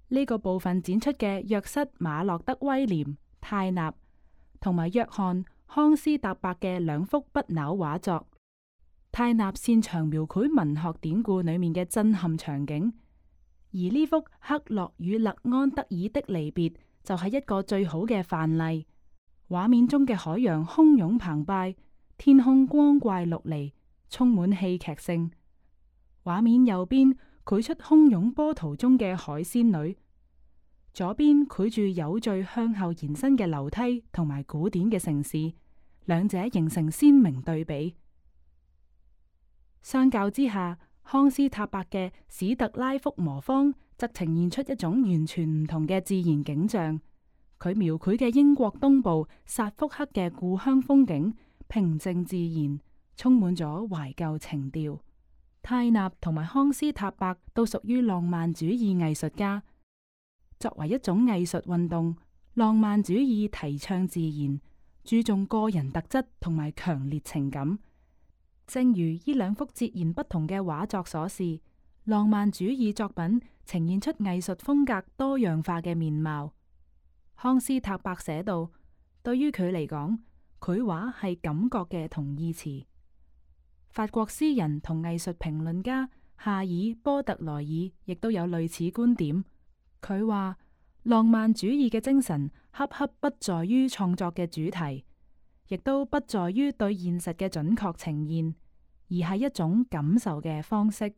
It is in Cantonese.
呢個部分展出嘅約瑟馬洛德威廉泰納同埋約翰康斯塔伯嘅兩幅不朽畫作。泰納擅長描繪文學典故裏面嘅震撼場景，而呢幅克洛與勒安德爾的離別就係一個最好嘅範例。畫面中嘅海洋洶湧澎湃，天空光怪陸離，充滿戲劇性。畫面右邊繪出洶湧波濤中嘅海仙女，左邊繪住有序向後延伸嘅樓梯同埋古典嘅城市，兩者形成鮮明對比。相較之下，康斯塔伯嘅史特拉福魔方則呈現出一種完全唔同嘅自然景象。佢描繪嘅英國東部薩福克嘅故鄉風景平靜自然，充滿咗懷舊情調。泰納同埋康斯塔伯都屬於浪漫主義藝術家。作為一種藝術運動，浪漫主義提倡自然，注重個人特質同埋強烈情感。正如呢兩幅截然不同嘅畫作所示，浪漫主義作品呈現出藝術風格多樣化嘅面貌。康斯塔伯寫道：對於佢嚟講，繪畫係感覺嘅同義詞。法國詩人同藝術評論家夏爾波特萊爾亦都有類似觀點。佢話浪漫主義嘅精神恰恰不在於創作嘅主題，亦都不在於對現實嘅準確呈現，而係一種感受嘅方式。